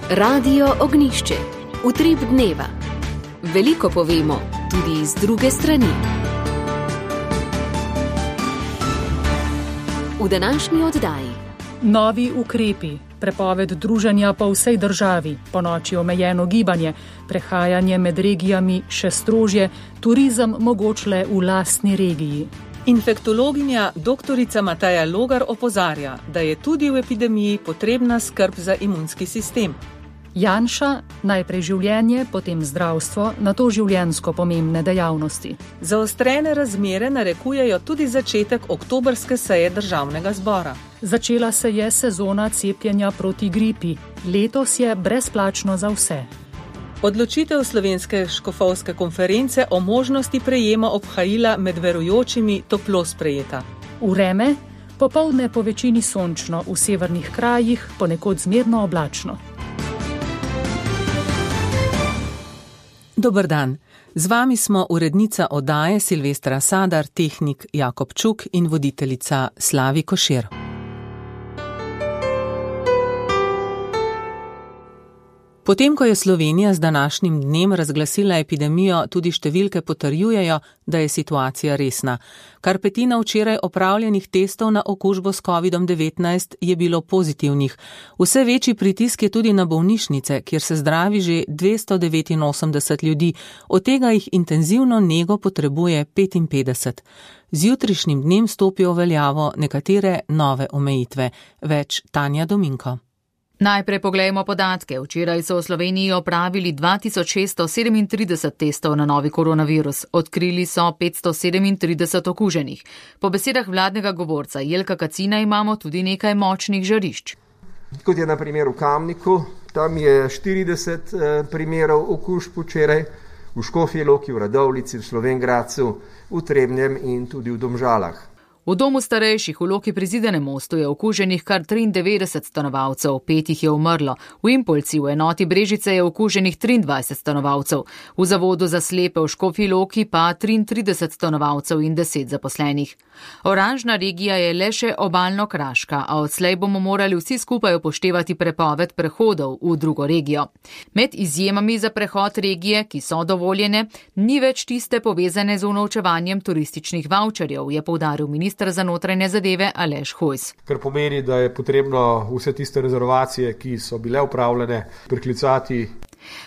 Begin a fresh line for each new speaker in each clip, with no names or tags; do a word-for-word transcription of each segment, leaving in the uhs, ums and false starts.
Radio Ognjišče. Utrip dneva. Veliko povemo tudi iz druge strani. V današnji oddaji.
Novi ukrepi, prepoved druženja po vsej državi, ponoči omejeno gibanje, prehajanje med regijami še strožje, turizem mogoč le v lastni regiji.
Infektologinja doktorica Mateja Logar opozarja, da je tudi v epidemiji potrebna skrb za imunski sistem.
Janša, najprej življenje, potem zdravstvo, nato življenjsko pomembne dejavnosti.
Zaostrene razmere narekujejo tudi začetek oktobrske seje državnega zbora.
Začela se je sezona cepljenja proti gripi. Letos je brezplačno za vse.
Odločitev Slovenske škofovske konference o možnosti prejema obhajila med verujočimi toplo sprejeta.
Vreme, popoldne po večini sončno, v severnih krajih ponekod zmerno oblačno.
Dober dan. Z vami smo urednica oddaje Silvestra Sadar, tehnik Jakob Čuk in voditeljica Slavi Košir. Potem, ko je Slovenija z današnjim dnem razglasila epidemijo, tudi številke potrjujejo, da je situacija resna. Kar petina včeraj opravljenih testov na okužbo s kovidom devetnajst je bilo pozitivnih. Vse večji pritisk je tudi na bolnišnice, kjer se zdravi že dvesto devetinosemdeset ljudi, od tega jih intenzivno nego potrebuje petinpetdeset. Z jutrišnjim dnem stopijo v veljavo nekatere nove omejitve. Več Tanja Dominko.
Najprej poglejmo podatke. Včeraj so v Sloveniji opravili dva tisoč šeststo sedemintrideset testov na novi koronavirus. Odkrili so petsto sedemintrideset okuženih. Po besedah vladnega govorca Jelka Kacina imamo tudi nekaj močnih žarišč.
Kot je na primer v Kamniku, tam je štirideset primerov okužb včeraj, v Škofji Loki, v Radovljici, v Slovenj Gradcu, v Trebnjem in tudi v Domžalah.
V domu starejših v Loki pri Zidanem mostu je okuženih kar triindevetdeset stanovalcev, pet jih je umrlo. V Impolci v enoti Brežice je okuženih triindvajset stanovalcev. V zavodu za slepe v Škofji Loki pa triintrideset stanovalcev in deset zaposlenih. Oranžna regija je le še obalno-kraška, a odslej bomo morali vsi skupaj upoštevati prepoved prehodov v drugo regijo. Med izjemami za prehod regije, ki so dovoljene, ni več tiste povezane z unovčevanjem turističnih vaučerjev, je poudaril minister za notranje zadeve Aleš Hojs.
Kar pomeni, da je potrebno vse tiste rezervacije, ki so bile upravljene, priklicati.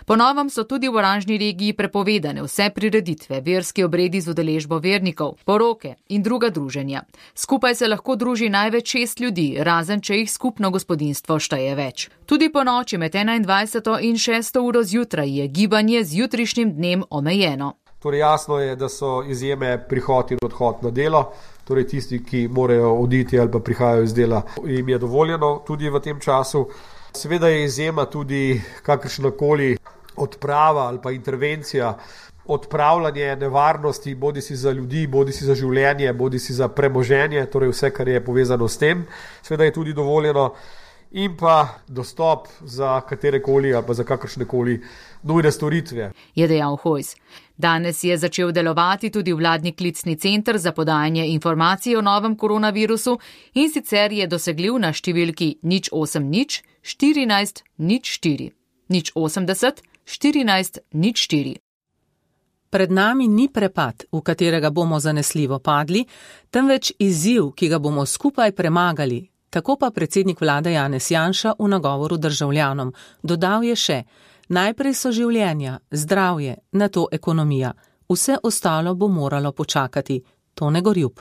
Po novem so tudi v oranžni regiji prepovedane vse prireditve, verski obredi z udeležbo vernikov, poroke in druga druženja. Skupaj se lahko druži največ šest ljudi, razen če jih skupno gospodinjstvo šteje več. Tudi po noči med enaindvajseto in šesto uro zjutraj je gibanje z jutrišnjim dnem omejeno.
Torej jasno je, da so izjeme prihod in odhod na delo, torej tisti, ki morajo oditi ali pa prihajajo iz dela, jim je dovoljeno tudi v tem času. Seveda je izjema tudi kakršnakoli odprava ali pa intervencija, odpravljanje nevarnosti, bodi si za ljudi, bodi si za življenje, bodi si za premoženje, torej vse, kar je povezano s tem. Seveda je tudi dovoljeno in pa dostop za katerekoli ali pa za kakršnekoli nujne storitve.
Je dejal Hojs. Danes je začel delovati tudi vladni klicni center za podajanje informacij o novem koronavirusu in sicer je dosegljiv na številki nič osem nič štirinajst nič štiri. nič osemdeset štirinajst nič štiri.
Pred nami ni prepad, v katerega bomo zanesljivo padli, temveč izziv, ki ga bomo skupaj premagali. Tako pa predsednik vlade Janez Janša v nagovoru državljanom. Dodal je še: najprej so življenja, zdravje, nato ekonomija. Vse ostalo bo moralo počakati. Tone Gorjup.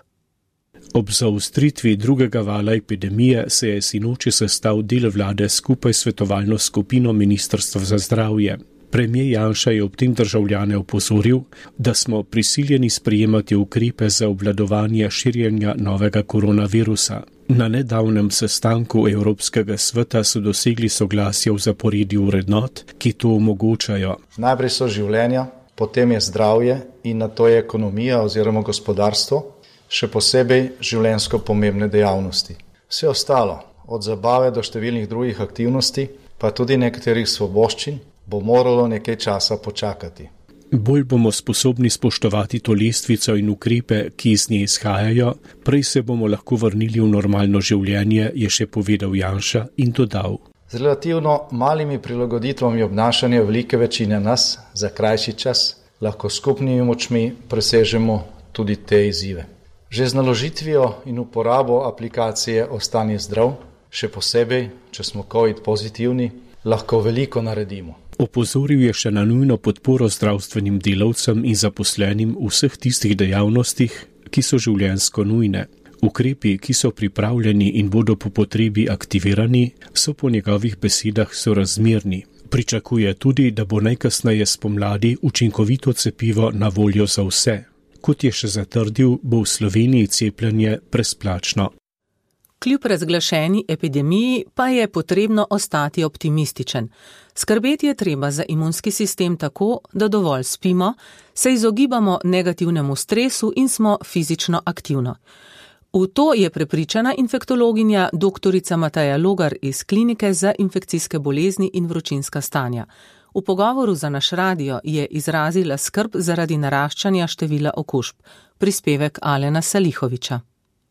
Ob zaostritvi drugega vala epidemije se je sinoči sestal del vlade skupaj s svetovalno skupino Ministrstva za zdravje. Premier Janša je ob tem državljane opozoril, da smo prisiljeni sprejemati ukrepe za obvladovanje širjenja novega koronavirusa. Na nedavnem sestanku Evropskega sveta so dosegli soglasje v zaporedju vrednot, ki to omogočajo.
Najprej so življenja, potem je zdravje in nato je ekonomija oziroma gospodarstvo, še posebej življenjsko pomembne dejavnosti. Vse ostalo, od zabave do številnih drugih aktivnosti, pa tudi nekaterih svoboščin, bo moralo nekaj časa počakati.
Bolj bomo sposobni spoštovati to lestvico in ukrepe, ki iz nje izhajajo, prej se bomo lahko vrnili v normalno življenje, je še povedal Janša in dodal.
Z relativno malimi prilagoditvami obnašanja velike večine nas za krajši čas lahko skupnimi močmi presežemo tudi te izzive. Že z naložitvijo in uporabo aplikacije Ostani zdrav, še posebej, če smo COVID pozitivni, lahko veliko naredimo.
Opozoril je še na nujno podporo zdravstvenim delavcem in zaposlenim v vseh tistih dejavnostih, ki so življenjsko nujne. Ukrepi, ki so pripravljeni in bodo po potrebi aktivirani, so po njegovih besedah sorazmerni. Pričakuje tudi, da bo najkasneje spomladi učinkovito cepivo na voljo za vse. Kot je še zatrdil, bo v Sloveniji cepljenje brezplačno.
Kljub razglašeni epidemiji pa je potrebno ostati optimističen. Skrbeti je treba za imunski sistem tako, da dovolj spimo, se izogibamo negativnemu stresu in smo fizično aktivno. V to je prepričana infektologinja doktorica Mateja Logar iz Klinike za infekcijske bolezni in vročinska stanja. V pogovoru za naš radio je izrazila skrb zaradi naraščanja števila okužb. Prispevek Alena Salihoviča.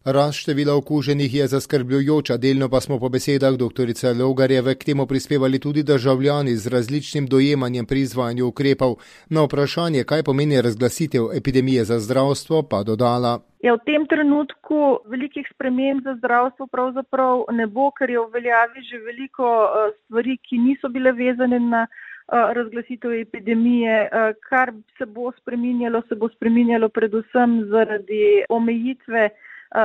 Rast števila okuženih je zaskrbljujoča, delno pa smo po besedah doktorice Logarjeve k temu prispevali tudi državljani z različnim dojemanjem pri izvajanju ukrepov. Na vprašanje, kaj pomeni razglasitev epidemije za zdravstvo, pa dodala.
Ja, v tem trenutku velikih sprememb za zdravstvo pravzaprav ne bo, ker je v veljavi že veliko stvari, ki niso bile vezane na razglasitev epidemije. Kar se bo spreminjalo, se bo spreminjalo predvsem zaradi omejitve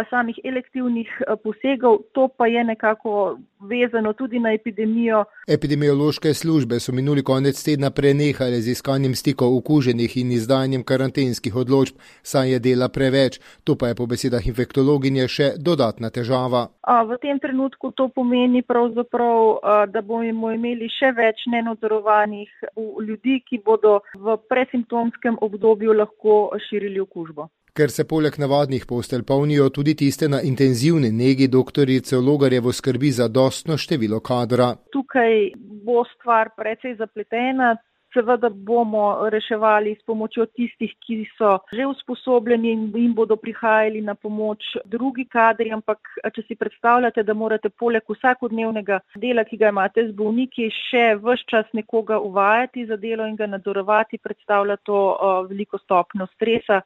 samih elektivnih posegov, to pa je nekako vezano tudi na epidemijo.
Epidemiološke službe so minuli konec tedna prenehale z iskanjem stikov okuženih in izdajanjem karantenskih odločb, saj je dela preveč. To pa je po besedah infektologinje še dodatna težava.
V tem trenutku to pomeni pravzaprav, da bomo imeli še več nenadzorovanih ljudi, ki bodo v presimptomskem obdobju lahko širili okužbo.
Ker se poleg navadnih postelj polnijo tudi tiste na intenzivni negi, doktorico Logarjevo skrbi za dostno število kadra.
Tukaj bo stvar precej zapletena. Seveda bomo reševali s pomočjo tistih, ki so že usposobljeni in jim bodo prihajali na pomoč drugi kadri, ampak če si predstavljate, da morate poleg vsakodnevnega dela, ki ga imate z bolniki, še ves čas nekoga uvajati za delo in ga nadzorovati, predstavlja to veliko stopnjo stresa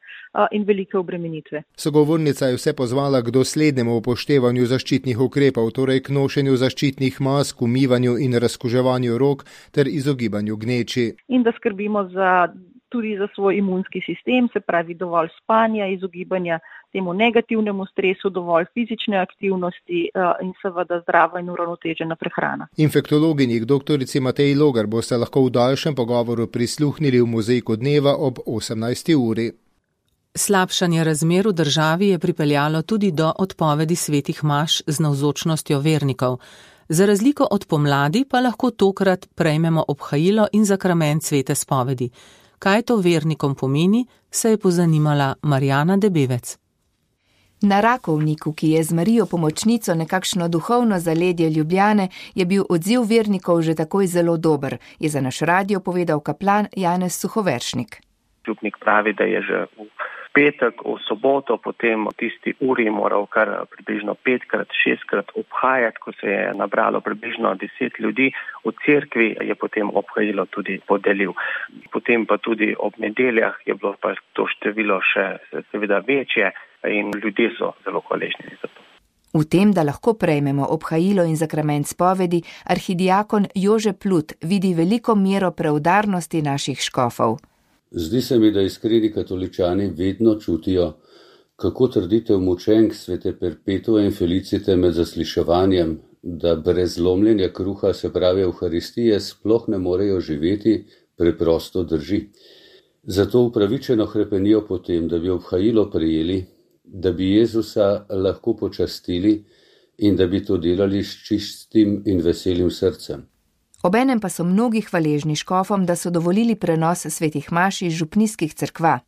in velike obremenitve.
Sogovornica je vse pozvala k doslednemu upoštevanju zaščitnih ukrepov, torej k nošenju zaščitnih mask, umivanju in razkuževanju rok ter izogibanju gneči.
In da skrbimo za, tudi za svoj imunski sistem, se pravi dovolj spanja, izogibanja temu negativnemu stresu, dovolj fizične aktivnosti in seveda zdrava in uravnotežena prehrana.
Infektologinji doktorici Mateji Logar boste lahko v daljšem pogovoru prisluhnili v Mozaiku dneva ob osemnajsti uri.
Slabšanje razmer v državi je pripeljalo tudi do odpovedi svetih maš z navzočnostjo vernikov. Za razliko od pomladi pa lahko tokrat prejmemo obhajilo in zakrament svete spovedi. Kaj to vernikom pomeni, se je pozanimala Marjana Debevec.
Na Rakovniku, ki je z Marijo pomočnico nekakšno duhovno zaledje Ljubljane, je bil odziv vernikov že takoj zelo dober, je za naš radio povedal kaplan Janez Suhoveršnik.
Župnik pravi, da je že v petek, v soboto, potem v tisti uri moral kar približno petkrat, šestkrat obhajati, ko se je nabralo približno deset ljudi. V cerkvi je potem obhajilo tudi podelil. Potem pa tudi ob nedeljah je bilo pa to število še seveda večje in ljudje so zelo hvaležni za to.
V tem, da lahko prejmemo obhajilo in zakrament spovedi, arhidiakon Jože Plut vidi veliko mero preudarnosti naših škofov.
Zdi se mi, da iskreni katoličani vedno čutijo, kako trditev mučenk svete Perpetue in Felicite med zasliševanjem, da brez lomljenja kruha, se pravi Evharistije, sploh ne morejo živeti, preprosto drži. Zato upravičeno hrepenijo po tem, da bi obhajilo prejeli, da bi Jezusa lahko počastili in da bi to delali s čistim in veselim srcem.
Obenem pa so mnogi hvaležni škofom, da so dovolili prenos svetih maš iz župnijskih cerkva.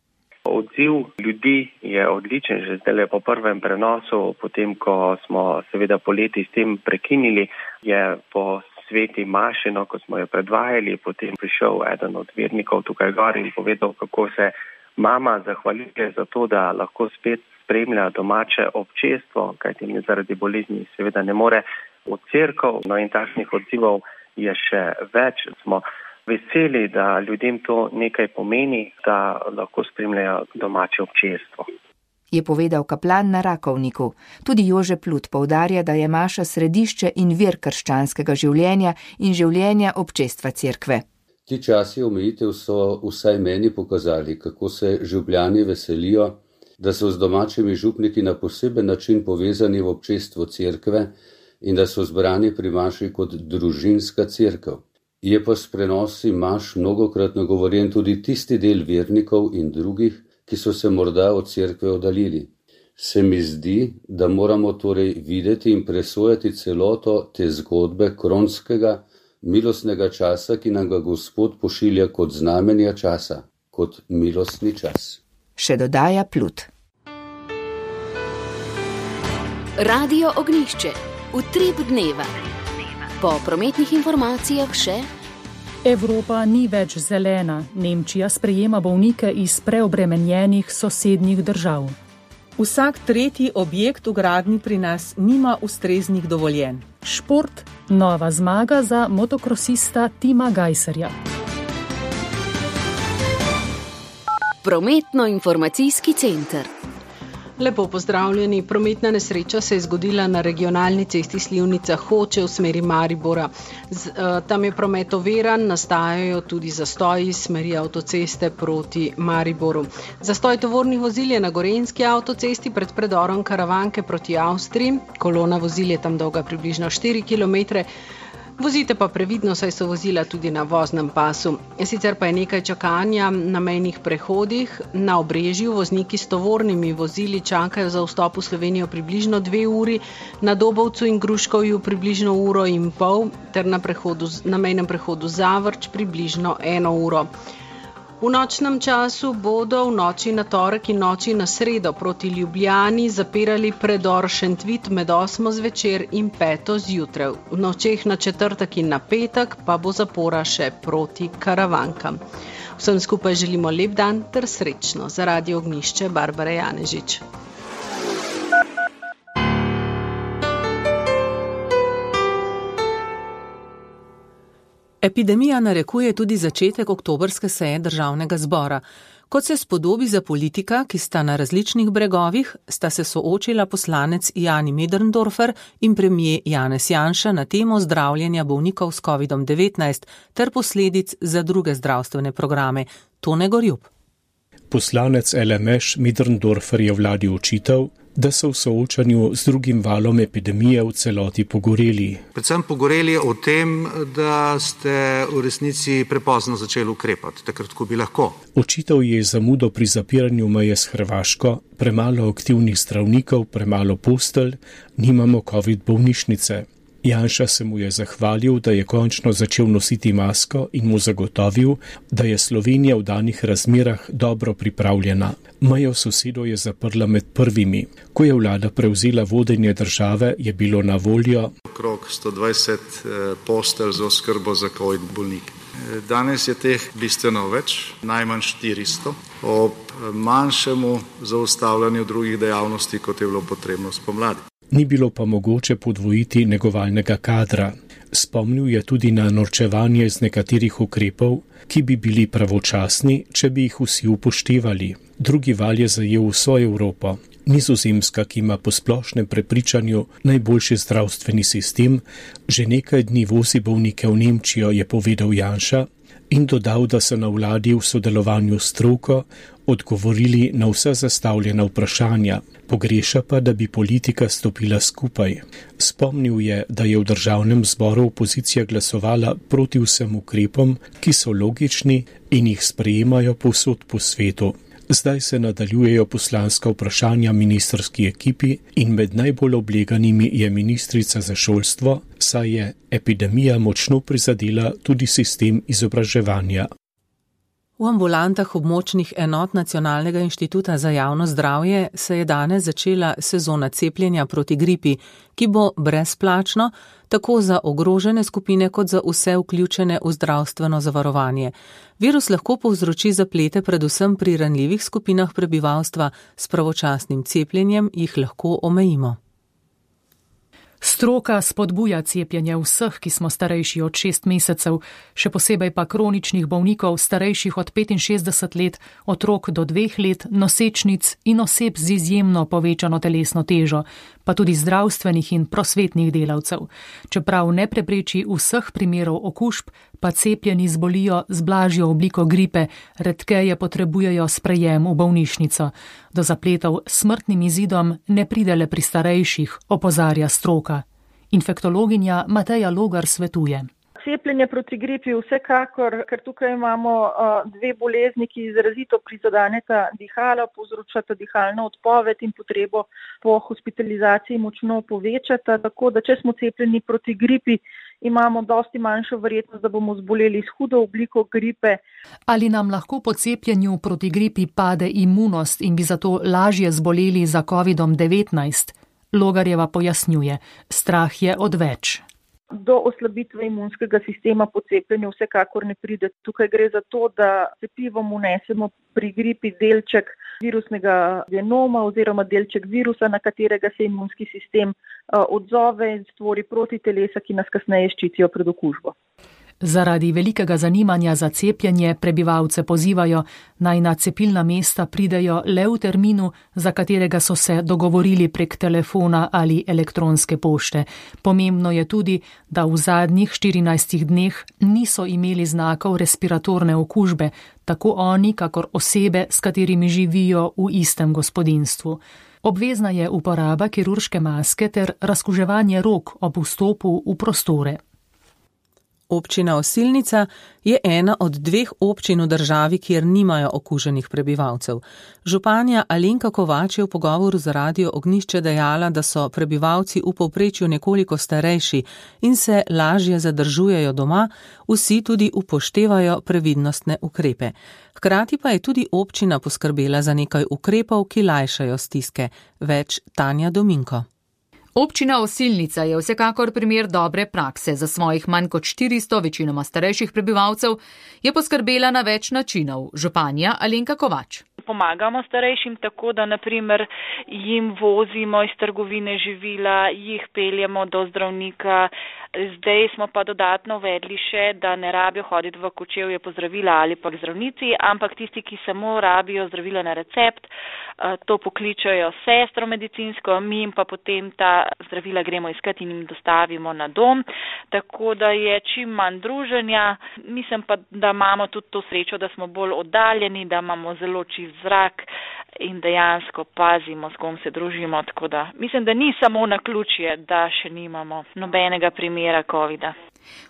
Odziv ljudi je odličen, že zdaj po prvem prenosu, potem ko smo seveda poleti s tem prekinili, je po sveti maši, no, ko smo jo predvajali, potem prišel eden od vernikov tukaj gor in povedal, kako se mama zahvaljuje za to, da lahko spet spremlja domače občestvo, kajti zaradi bolezni seveda ne more v cerkev, no in takšnih odzivov je še več. Smo veseli, da ljudem to nekaj pomeni, da lahko spremljajo domače občestvo.
Je povedal kaplan na Rakovniku. Tudi Jože Plut poudarja, da je maša središče in vir krščanskega življenja in življenja občestva cerkve.
Ti časi omejitev so vsaj meni pokazali, kako se župljani veselijo, da so z domačimi župniki na poseben način povezani v občestvo cerkve in da so zbrani pri maši kot družinska cerkev. Je pa s prenosi maš mnogokrat nagovorjen tudi tisti del vernikov in drugih, ki so se morda od cerkve oddaljili. Se mi zdi, da moramo torej videti in presojati celoto te zgodbe kronskega, milostnega časa, ki nam ga Gospod pošilja kot znamenja časa, kot milostni čas.
Še dodaja Plut.
Radio Ognjišče. Utrip dneva. Po prometnih informacijah še
Evropa ni več zelena. Nemčija sprejema bolnike iz preobremenjenih sosednjih držav.
Vsak tretji objekt v gradnji pri nas nima ustreznih dovoljenj.
Šport, nova zmaga za motokrosista Tima Gajserja.
Prometno-informacijski center.
Lepo pozdravljeni. Prometna nesreča se je zgodila na regionalni cesti Slivnica-Hoče v smeri Maribora. Z, uh, tam je promet oviran, nastajajo tudi zastoji iz smeri avtoceste proti Mariboru. Zastoj tovornih vozil je na Gorenjski avtocesti pred predorom Karavanke proti Avstriji. Kolona vozil je tam dolga približno štiri kilometre. Vozite pa previdno, saj so vozila tudi na voznem pasu. Sicer pa je nekaj čakanja na mejnih prehodih. Na Obrežju vozniki s tovornimi vozili čakajo za vstop v Slovenijo približno dve uri, na Dobovcu in Gruškovju približno uro in pol, ter na, prehodu, na mejnem prehodu Zavrč približno eno uro. V nočnem času bodo v noči na torek in noči na sredo proti Ljubljani zapirali predor Šentvit med osmo zvečer in peto zjutraj. V nočeh na četrtek in na petek pa bo zapora še proti Karavankam. Vsem skupaj želimo lep dan ter srečno. Za Radio Ognjišče Barbara Janežič.
Epidemija narekuje tudi začetek oktobrske seje državnega zbora. Kot se spodobi za politika, ki sta na različnih bregovih, sta se soočila poslanec Jani Möderndorfer in premier Janez Janša na temo zdravljenja bolnikov s kovidom devetnajst ter posledic za druge zdravstvene programe. Tone Gorjup.
Poslanec L M Š Möderndorfer je vladi očital, da so v soočanju z drugim valom epidemije v celoti pogoreli.
Predvsem pogoreli o tem, da ste v resnici prepozno začeli ukrepati, takrat, ko bi lahko.
Očital je zamudo pri zapiranju meje s Hrvaško, premalo aktivnih zdravnikov, premalo postelj, nimamo covid bolnišnice. Janša se mu je zahvalil, da je končno začel nositi masko in mu zagotovil, da je Slovenija v danih razmerah dobro pripravljena. Mejo sosedo je zaprla med prvimi. Ko je vlada prevzela vodenje države, je bilo na voljo
okrog sto dvajset postelj za oskrbo za covid bolnike. Danes je teh bistveno več, najmanj štiristo, ob manjšemu zaustavljanju drugih dejavnosti, kot je bilo potrebno spomladi.
Ni bilo pa mogoče podvojiti negovalnega kadra. Spomnil je tudi na norčevanje iz nekaterih ukrepov, ki bi bili pravočasni, če bi jih vsi upoštevali. Drugi val je zajel vso Evropo. Nizozemska, ki ima po splošnem prepričanju najboljši zdravstveni sistem, že nekaj dni vozi bolnike v Nemčijo, je povedal Janša in dodal, da so na vladi v sodelovanju s stroko odgovorili na vsa zastavljena vprašanja. Pogreša pa, da bi politika stopila skupaj. Spomnil je, da je v državnem zboru opozicija glasovala proti vsem ukrepom, ki so logični in jih sprejemajo povsod po svetu. Zdaj se nadaljujejo poslanska vprašanja ministrski ekipi in med najbolj obleganimi je ministrica za šolstvo, saj je epidemija močno prizadela tudi sistem izobraževanja.
V ambulantah območnih enot Nacionalnega inštituta za javno zdravje se je danes začela sezona cepljenja proti gripi, ki bo brezplačno tako za ogrožene skupine kot za vse vključene v zdravstveno zavarovanje. Virus lahko povzroči zaplete predvsem pri ranljivih skupinah prebivalstva, s pravočasnim cepljenjem jih lahko omejimo.
Stroka spodbuja cepljenje vseh, ki smo starejši od šest mesecev, še posebej pa kroničnih bolnikov starejših od petinšestdeset let, otrok do dveh let, nosečnic in oseb z izjemno povečano telesno težo, pa tudi zdravstvenih in prosvetnih delavcev. Čeprav ne prepreči vseh primerov okužb, pa cepljeni zbolijo z blažjo obliko gripe, redkeje potrebujejo sprejem v bolnišnico. Do zapletov s smrtnim izidom ne pride le pri starejših, opozarja stroka. Infektologinja Mateja Logar svetuje.
Cepljenje proti gripi vsekakor, ker tukaj imamo uh, dve bolezni, ki izrazito prizadeneta dihala, povzročata dihalno odpoved in potrebo po hospitalizaciji močno povečata, tako da če smo cepljeni proti gripi, imamo dosti manjšo verjetnost, da bomo zboleli s hudo obliko gripe.
Ali nam lahko po cepljenju proti gripi pade imunost in bi zato lažje zboleli za kovidom devetnajst? Logarjeva pojasnjuje, strah je odveč.
Do oslabitve imunskega sistema po cepljenju vsekakor ne pride. Tukaj gre za to, da cepivom vnesemo pri gripi delček virusnega genoma oziroma delček virusa, na katerega se imunski sistem odzove in stvori protitelesa, ki nas kasneje ščitijo pred okužbo.
Zaradi velikega zanimanja za cepljenje prebivalce pozivajo, naj na cepilna mesta pridejo le v terminu, za katerega so se dogovorili prek telefona ali elektronske pošte. Pomembno je tudi, da v zadnjih štirinajstih dneh niso imeli znakov respiratorne okužbe, tako oni, kakor osebe, s katerimi živijo v istem gospodinjstvu. Obvezna je uporaba kirurške maske ter razkuževanje rok ob vstopu v prostore.
Občina Osilnica je ena od dveh občin v državi, kjer nimajo okuženih prebivalcev. Županja Alenka Kovač je v pogovoru za Radio Ognjišče dejala, da so prebivalci v povprečju nekoliko starejši in se lažje zadržujejo doma, vsi tudi upoštevajo previdnostne ukrepe. Hkrati pa je tudi občina poskrbela za nekaj ukrepov, ki lajšajo stiske. Več Tanja Dominko.
Občina Osilnica je vsekakor primer dobre prakse. Za svojih manj kot štiristo večinoma starejših prebivalcev je poskrbela na več načinov. Županja Alenka Kovač.
Pomagamo starejšim tako, da naprimer jim vozimo iz trgovine živila, jih peljemo do zdravnika. Zdaj smo pa dodatno uvedli še, da ne rabijo hoditi v Kočevje po zdravila ali pa k zdravnici, ampak tisti, ki samo rabijo zdravila na recept, to pokličajo sestro medicinsko, mi jim pa potem ta zdravila gremo iskati in jim dostavimo na dom, tako da je čim manj druženja. Mislim pa, da imamo tudi to srečo, da smo bolj oddaljeni, da imamo zelo čist zrak in dejansko pazimo, s kom se družimo, tako da mislim, da ni samo naključje, da še nimamo nobenega primera covida.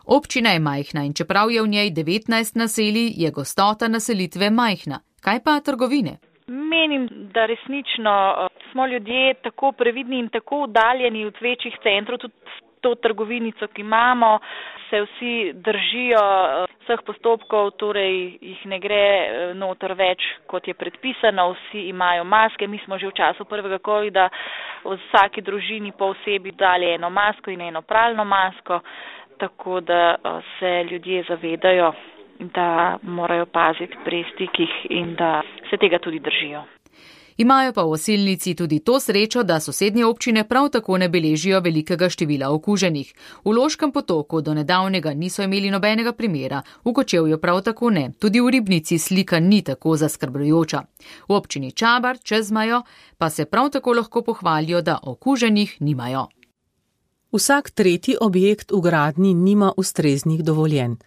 Občina je majhna in čeprav je v njej devetnajst naselij, je gostota naselitve majhna. Kaj pa trgovine?
Menim, da resnično smo ljudje tako previdni in tako oddaljeni od večjih centrov, tudi to trgovinico, ki imamo, se vsi držijo vseh postopkov, torej jih ne gre noter več, kot je predpisano, vsi imajo maske. Mi smo že v času prvega covida v vsaki družini po osebi dali eno masko in eno pralno masko, tako da se ljudje zavedajo, da morajo paziti pri stikih in da se tega tudi držijo.
Imajo pa v Osilnici tudi to srečo, da sosednje občine prav tako ne beležijo velikega števila okuženih. V Loškem Potoku do nedavnega niso imeli nobenega primera, v Kočevju prav tako ne, tudi v Ribnici slika ni tako zaskrbljujoča. V občini Čabar čez mejo pa se prav tako lahko pohvalijo, da okuženih nimajo.
Vsak tretji objekt v gradnji nima ustreznih dovoljenj.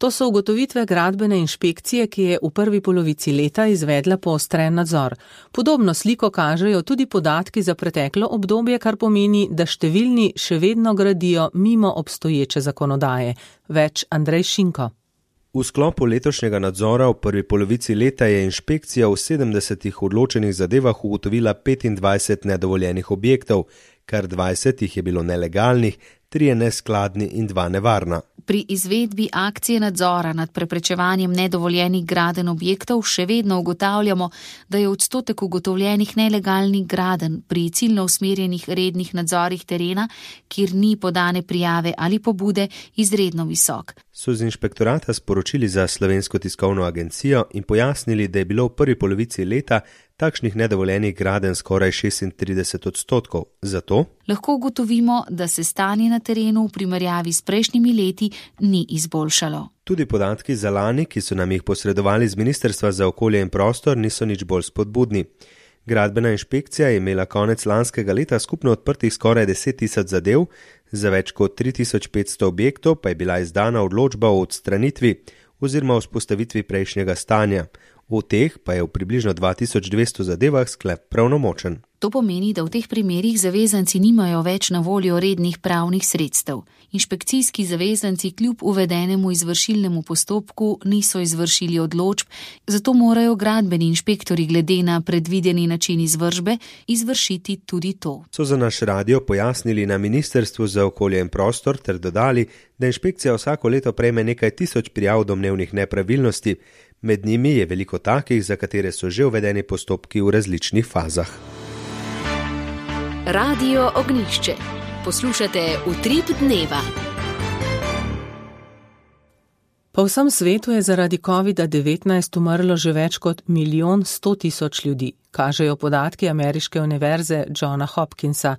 To so ugotovitve gradbene inšpekcije, ki je v prvi polovici leta izvedla poostren nadzor. Podobno sliko kažejo tudi podatki za preteklo obdobje, kar pomeni, da številni še vedno gradijo mimo obstoječe zakonodaje. Več Andrej Šinko.
V sklopu letošnjega nadzora v prvi polovici leta je inšpekcija v sedemdesetih odločenih zadevah ugotovila petindvajset nedovoljenih objektov, kar dvajset jih je bilo nelegalnih, trije neskladni in dva nevarna.
Pri izvedbi akcije nadzora nad preprečevanjem nedovoljenih gradenj objektov še vedno ugotavljamo, da je odstotek ugotovljenih nelegalnih gradenj pri ciljno usmerjenih rednih nadzorih terena, kjer ni podane prijave ali pobude, izredno visok.
so z inšpektorata sporočili za Slovensko tiskovno agencijo in pojasnili, da je bilo v prvi polovici leta takšnih nedovoljenih gradenj skoraj šestintrideset odstotkov. Zato
lahko ugotovimo, da se stanje na terenu v primerjavi s prejšnjimi leti ni izboljšalo.
Tudi podatki za lani, ki so nam jih posredovali z Ministrstva za okolje in prostor, niso nič bolj spodbudni. Gradbena inšpekcija je imela konec lanskega leta skupno odprtih skoraj deset tisoč zadev, za več kot tri tisoč petsto objektov pa je bila izdana odločba o odstranitvi oziroma vzpostavitvi prejšnjega stanja. V teh pa je v približno dva tisoč dvesto zadevah sklep pravnomočen.
To pomeni, da v teh primerih zavezanci nimajo več na voljo rednih pravnih sredstev. Inšpekcijski zavezanci kljub uvedenemu izvršilnemu postopku niso izvršili odločb, zato morajo gradbeni inšpektori glede na predvideni način izvršbe izvršiti tudi to.
So za naš radio pojasnili na Ministrstvu za okolje in prostor ter dodali, da inšpekcija vsako leto prejme nekaj tisoč prijav domnevnih nepravilnosti. Med njimi je veliko takih, za katere so že uvedeni postopki v različnih fazah.
Radio Ognjišče. Poslušate Utrip dneva.
Po vsem svetu je zaradi covida devetnajst umrlo že več kot milijon sto tisoč ljudi, kažejo podatki ameriške univerze Johna Hopkinsa.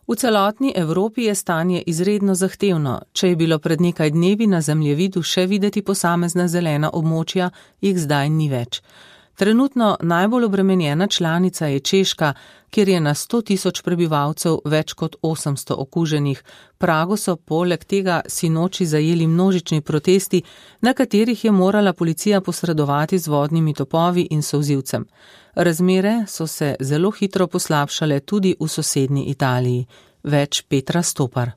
V celotni Evropi je stanje izredno zahtevno. Če je bilo pred nekaj dnevi na zemljevidu še videti posamezna zelena območja, jih zdaj ni več. Trenutno najbolj obremenjena članica je Češka, kjer je na sto tisoč prebivalcev več kot osemsto okuženih. Prago so poleg tega sinoči zajeli množični protesti, na katerih je morala policija posredovati z vodnimi topovi in solzivcem. Razmere so se zelo hitro poslabšale tudi v sosednji Italiji. Več Petra Stopar.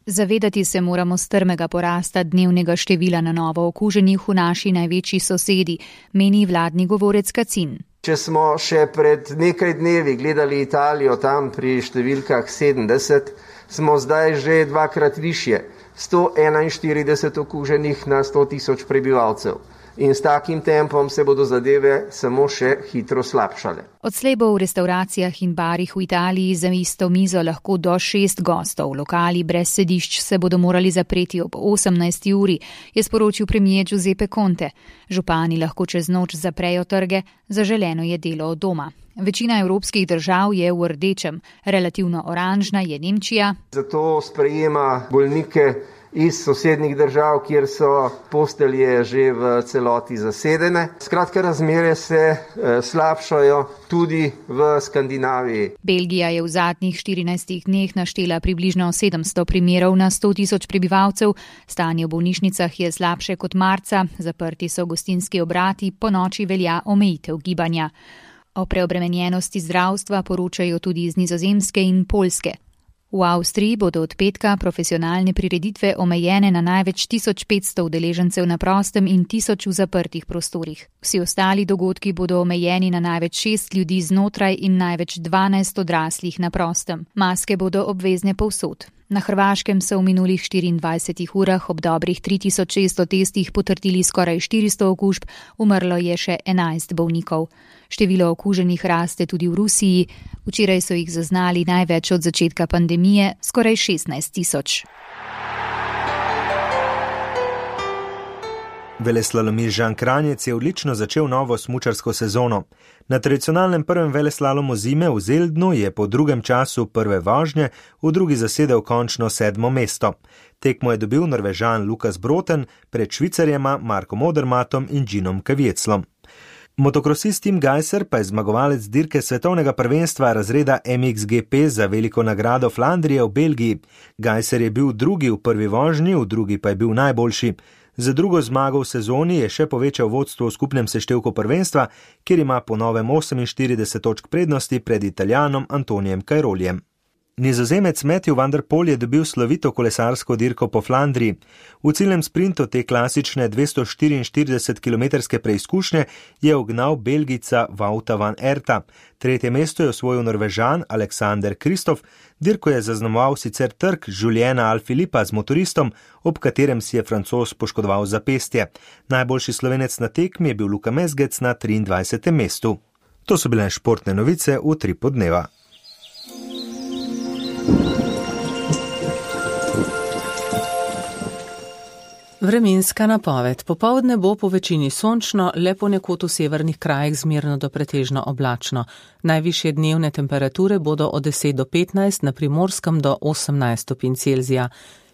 Zavedati se moramo strmega porasta dnevnega števila na novo okuženih v naši največji sosedi, meni vladni govorec Kacin.
Če smo še pred nekaj dnevi gledali Italijo tam pri številkah sedemdeset, smo zdaj že dvakrat višje, sto enainštirideset okuženih na sto tisoč prebivalcev. In s takim tempom se bodo zadeve samo še hitro slabšale.
Odslej bo v restauracijah in barih v Italiji za isto mizo lahko do šest gostov. Lokali brez sedišč se bodo morali zapreti ob osemnajsti uri, je sporočil premier Giuseppe Conte. Župani lahko čez noč zaprejo trge, zaželeno je delo od doma. Večina evropskih držav je v rdečem, relativno oranžna je Nemčija.
Zato sprejema bolnike iz sosednjih držav, kjer so postelje že v celoti zasedene. Skratka, razmere se e, slabšajo tudi v Skandinaviji.
Belgija je v zadnjih štirinajstih dneh naštela približno sedemsto primerov na sto tisoč prebivalcev. Stanje v bolnišnicah je slabše kot marca, zaprti so gostinski obrati, po noči velja omejitev gibanja. O preobremenjenosti zdravstva poročajo tudi iz Nizozemske in Poljske. V Avstriji bodo od petka profesionalne prireditve omejene na največ tisoč petsto udeležencev na prostem in tisoč v zaprtih prostorih. Vsi ostali dogodki bodo omejeni na največ šest ljudi znotraj in največ dvanajst odraslih na prostem. Maske bodo obvezne povsod. Na Hrvaškem so v minulih štiriindvajsetih urah ob dobrih tri tisoč šeststo testih potrdili skoraj štiristo okužb, umrlo je še enajst bolnikov. Število okuženih raste tudi v Rusiji. Včeraj so jih zaznali največ od začetka pandemije, skoraj šestnajst tisoč.
Veleslalomist Žan Kranjec je odlično začel novo smučarsko sezono. Na tradicionalnem prvem veleslalomu zime v Zeldnu je po drugem času prve vožnje v drugi zasedel končno sedmo mesto. Tekmo je dobil Norvežan Lukas Broten pred Švicarjema Markom Odermatom in Ginom Kavietzlom. Motokrosist Tim Gajser pa je zmagovalec dirke svetovnega prvenstva razreda M X G P za veliko nagrado Flandrije v Belgiji. Gajser je bil drugi v prvi vožnji, v drugi pa je bil najboljši. Za drugo zmago v sezoni je še povečal vodstvo v skupnem seštevku prvenstva, kjer ima po novem oseminštirideset točk prednosti pred Italijanom Antonijem Cairolijem. Nizozemec Matthew van der Poel je dobil slovito kolesarsko dirko po Flandriji. V ciljnem sprintu te klasične dvesto štiriinštiridesetkilometrske preizkušnje je ugnal Belgijca Wouta van Aerta. Tretje mesto je osvojil Norvežan Alexander Kristof. Dirko je zaznamoval sicer trk Juliena Alaphilippa z motoristom, ob katerem si je Francoz poškodoval zapestje. Najboljši Slovenec na tekmi je bil Luka Mezgec na triindvajsetem mestu. To so bile športne novice v Utripu dneva.
Vremenska napoved. Popoldne bo po večini sončno, le ponekod v severnih krajih zmerno do pretežno oblačno. Najvišje dnevne temperature bodo od deset do petnajst, na Primorskem do osemnajst stopinj Celzija.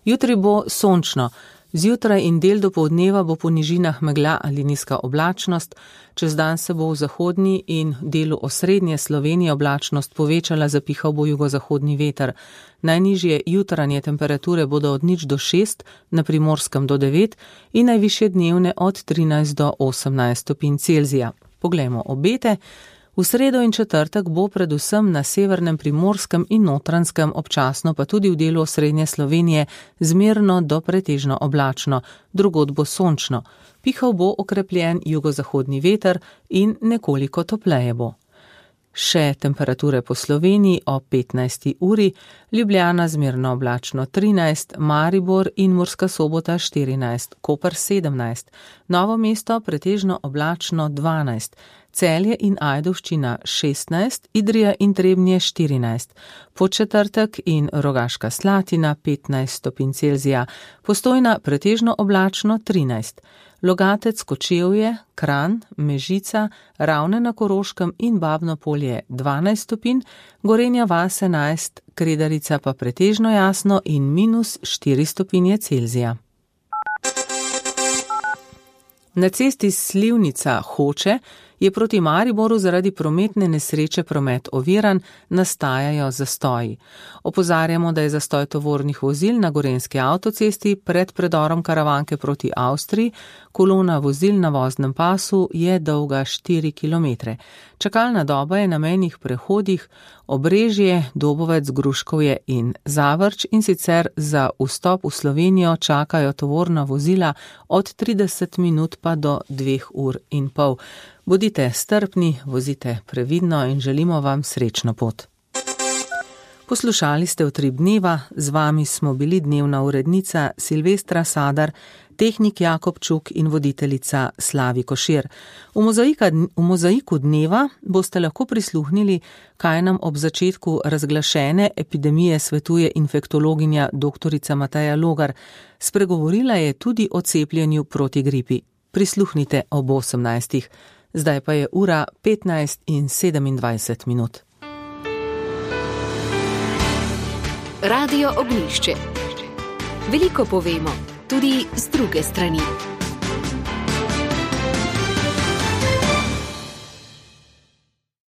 Jutri bo sončno. Zjutraj in del dopoldneva bo po nižinah megla ali nizka oblačnost, čez dan se bo v zahodni in delu osrednje Slovenije oblačnost povečala, zapihal bo jugozahodni veter. Najnižje jutranje temperature bodo od nič do šest, na Primorskem do devet in najvišje dnevne od trinajst do osemnajst stopinj Celzija. Poglejmo obete. V sredo in četrtek bo predvsem na severnem Primorskem in Notranjskem, občasno pa tudi v delu osrednje Slovenije, zmerno do pretežno oblačno, drugod bo sončno. Pihal bo okrepljen jugozahodni veter in nekoliko topleje bo. Še temperature po Sloveniji o petnajsti uri, Ljubljana zmerno oblačno trinajst, Maribor in Murska Sobota štirinajst, Koper sedemnajst, Novo mesto pretežno oblačno dvanajst, Celje in Ajdovščina šestnajst, Idrija in Trebnje štirinajst, Podčetrtek in Rogaška Slatina petnajst stopinj Celzija, Postojna pretežno oblačno trinajst, Logatec, Kočevje, Kranj, Mežica, Ravne na Koroškem in Babno Polje dvanajst stopinj, Gorenja vas enajst, Kredarica pa pretežno jasno in minus štiri stopinje Celzija. Na cesti Slivnica Hoče je proti Mariboru zaradi prometne nesreče promet oviran, nastajajo zastoji. Opozarjamo, da je zastoj tovornih vozil na Gorenjski avtocesti pred predorom Karavanke proti Avstriji, kolona vozil na voznem pasu je dolga štiri kilometre. Čakalna doba je na mejnih prehodih Obrežje, Dobovec, Gruškovje in Zavrč in sicer za vstop v Slovenijo čakajo tovorna vozila od trideset minut pa do dveh ur in pol. Bodite strpni, vozite previdno in želimo vam srečno pot. Poslušali ste Utrip dneva, z vami smo bili dnevna urednica Silvestra Sadar, tehnik Jakob Čuk in voditeljica Slavi Košir. V, mozaika, v mozaiku dneva boste lahko prisluhnili, kaj nam ob začetku razglašene epidemije svetuje infektologinja doktorica Mateja Logar. Spregovorila je tudi o cepljenju proti gripi. Prisluhnite ob osemnajstih. Zdaj pa je ura petnajst in sedemindvajset minut.
Radio Ognjišče. Veliko povemo, tudi z druge strani.